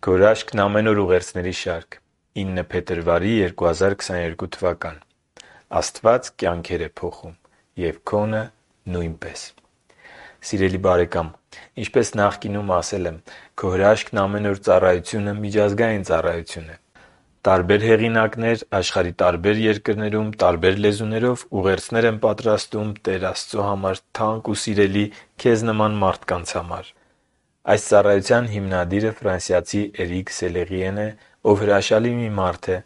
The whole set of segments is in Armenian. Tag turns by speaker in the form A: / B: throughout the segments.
A: Գորաշքն ամեն օր ուղերձների շարք 9 փետրվարի 2022 թվական Աստված կյանքեր է փոխում և քոնը նույնպես։ Սիրելի բարեկամ, ինչպես նախկինում ասել եմ, քո հրաշքն ամեն օր ծառայությունը միջազգային ծառայություն է։ Տարբեր հեղինակներ աշխարհի տարբեր երկրներում տարբեր լեզուներով ուղերձներ են պատրաստում Տեր Աստծո համար թանկ ու սիրելի քեզ նման մարդկանց համար։ Այս ծառայության հիմնադիրը ֆրանսիացի Էրիկ Սելեղիեն է, ով հրաշալի մի մարդ է,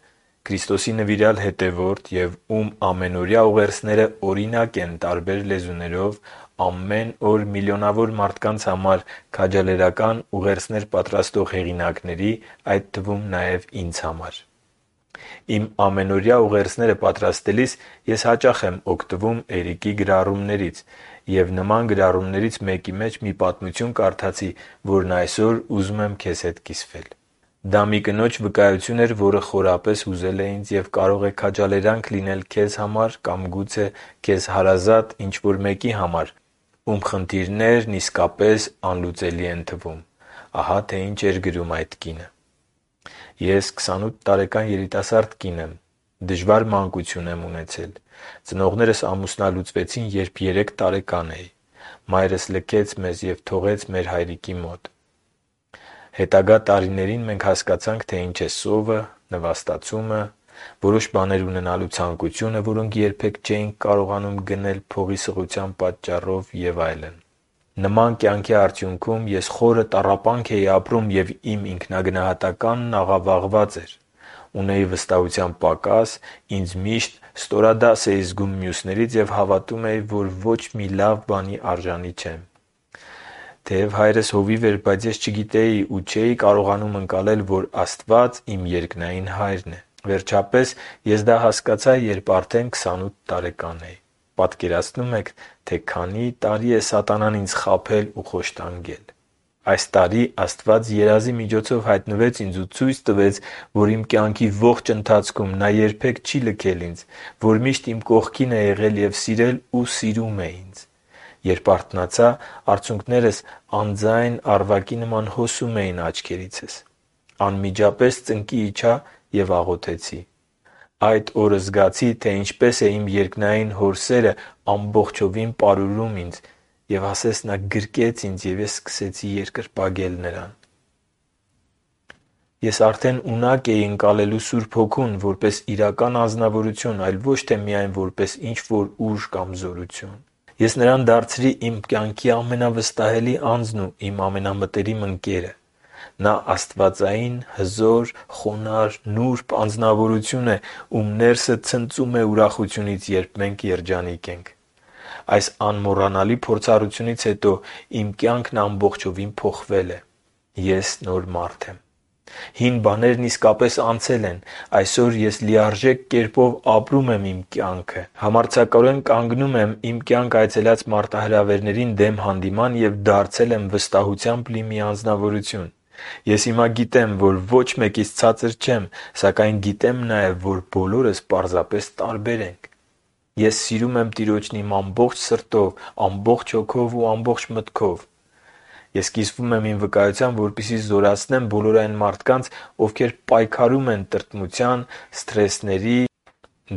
A: Քրիստոսի նվիրյալ հետևորդ և ում ամենօրյա ուղերձները օրինակ են տարբեր լեզուներով ամեն օր միլիոնավոր մարդկանց համար քաջալերական ուղերձներ պատրաստող հեղինակների, այդ թվում նաև ինձ համար։ Իմ ամենօրյա ուղերձները պատրաստելիս ես հաճախ եմ օգտվում Էրիկի գրառումներից և նման գրառումներից մեկի մեջ մի պատմություն կարդացի, որն այսօր ուզում եմ քեզ հետ կիսվել։ Դա մի կնոջ վկայություն էր, որը խորապես հուզել է ինձ և կարող է քաջալերանք լինել քեզ համար կամ գուցե քեզ հարազատ ինչ-որ մեկի համար, ում խնդիրներն իսկապես անլուծելի են թվում։ Ահա թե ինչ էր գրում այդ կինը. «Ես 28 տարեկան երիտասարդ կին եմ։ Դժվար մանկություն եմ ունեցել։ Ծնողներս ամուսնալուծվեցին, երբ 3 տարեկան էի։ Մայրս լքեց մեզ և թողեց մեր հայրիկի մոտ։ Հետագա տարիներին մենք հասկացանք, թե ինչ է սովը, նվաստացումը, որոշ բաներ ունենալու ցանկությունը, որոնք երբեք չէինք կարողանում գնել փողի սղության պատճառով և այլն։ Նման կյանքի արդյունքում ես խորը տառապանք էի ապրում և իմ ինքնագնահատականն աղավաղված էր։ Ունեի վստահության պակաս, ինձ միշտ ստորադաս էի զգում մյուսներից և հավատում էի, որ ոչ մի լավ բանի արժանի չեմ։ Թեև հայրս հովիվ էր, բայց ես չգիտեի ու չէի կարողանում ընկալել, որ Աստված իմ երկնային Հայրն է։ Վերջապես ես դա հասկացա, երբ արդեն 28 տարեկան էի։ Պատկերացնո՞ւմ եք, թե քանի տարի է սատանան ինձ խաբել ու խոշտանգել։ Այս տարի Աստված երազի միջոցով հայտնվեց ինձ ու ցույց տվեց, որ իմ կյանքի ողջ ընթացքում Նա երբեք չի լքել ինձ, որ միշտ իմ կողքին է եղել և սիրել ու սիրում է ինձ։ Երբ արթնացա, արցունքներս անձայն առվակի նման հոսում էին աչքերիցս։ Անմիջապես ծնկի իջա և աղոթեցի։ Այդ օրը զգացի, թե ինչպես է իմ երկնային Հոր սերը ամբողջովին պարուրում ինձ, և ասես Նա գրկեց ինձ, և ես սկսեցի երկրպագել Նրան։ Ես արդեն ունակ էի ընկալելու Սուրբ Հոգուն որպես իրական անձնավորություն, այլ ոչ թե միայն որպես ինչ-որ ուժ կամ զորություն։ Ես Նրան դարձրի իմ կյանքի ամենավստահելի անձն ու իմ ամենամտերիմ ընկերը։ Նա աստվածային, հզոր, խոնարհ, նուրբ անձնավորություն է, ում ներսը ցնծում է ուրախությունից, երբ մենք երջանիկ ենք։ Այս անմոռանալի փորձառությունից հետո իմ կյանքն ամբողջովին փոխվել է։ Ես նոր մարդ եմ։ Հին բաներն իսկապես անցել են։ Այսօր ես լիարժեք կերպով ապրում եմ իմ կյանքը։ Համարձակորեն կանգնում եմ իմ կյանք այցելած մարտահրավերներին դեմ հանդիման և դարձել եմ վստահությամբ լի մի անձնավորություն։ Ես հիմա գիտեմ, որ ոչ մեկից ցածր չեմ, սակայն գիտեմ նաև, որ բոլորս պարզապես տարբեր ենք։ Ես սիրում եմ Տիրոջն իմ ամբողջ սրտով, ամբողջ հոգով ու ամբողջ մտքով։ Ես կիսվում եմ իմ վկայության, որպեսզի զորացնեմ բոլոր այն մարդկանց, ովքեր պայքարում են տրտմության, սթրեսների,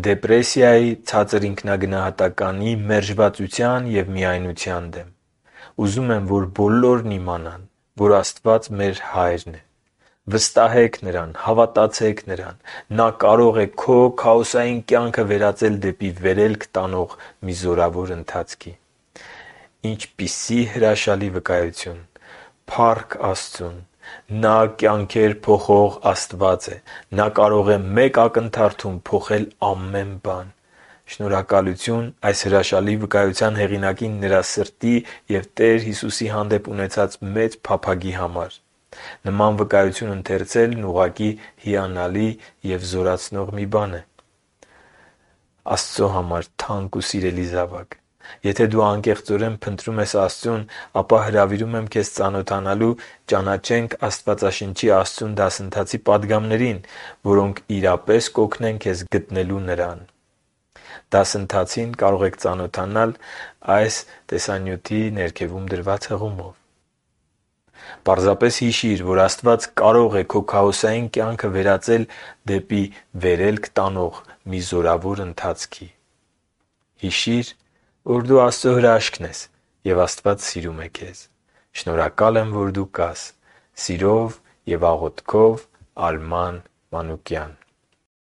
A: դեպրեսիայի, ցածր ինքնագնահատականի, մերժվածության և միայնության դեմ։ Ուզում եմ, որ բոլորն իմանան, որ Աստված մեր Հայրն է։ Վստահեք Նրան, հավատացեք Նրան։ Նա կարող է քո քաոսային կյանքը վերածել դեպի վերելք տանող մի զորավոր ընթացքի։ Ինչպիսի հրաշալի վկայություն։ Փառք Աստծուն։ Նա կյանքեր փոխող Աստված է։ Նա կարող է մեկ ակնթարթում փոխել ամեն բան։ Շնորհակալություն այս հրաշալի վկայության հեղինակին նրա սրտի և Տեր Հիսուսի հանդեպ ունեցած մեծ փափագի համար։ Նման վկայություն ընթերցելն ուղղակի հիանալի և զորացնող մի բան է։ Աստծո համար թանկ ու սիրելի զավակ, եթե դու անկեղծորեն փնտրում ես Աստծուն, ապա հրավիրում եմ քեզ ծանոթանալու «Ճանաչենք Աստվածաշնչի Աստծուն» դասընթացի պատգամներին, որոնք իրապես կօգնեն քեզ գտնելու Նրան։ Դասընթացին կարող եք ծանոթանալ այս տեսանյութի ներքևում դրված հղումով։ Պարզապես հիշի՛ր, որ Աստված կարող է քո քաոսային կյանքը վերածել դեպի վերելք տանող մի զորավոր ընթացքի։ Հիշի՛ր, որ դու Աստծո հրաշքն ես, և Աստված սիրում է քեզ։ Շնորհակալ եմ, որ դու կաս։ Սիրով և աղոթքով, Արման Մանուկյան։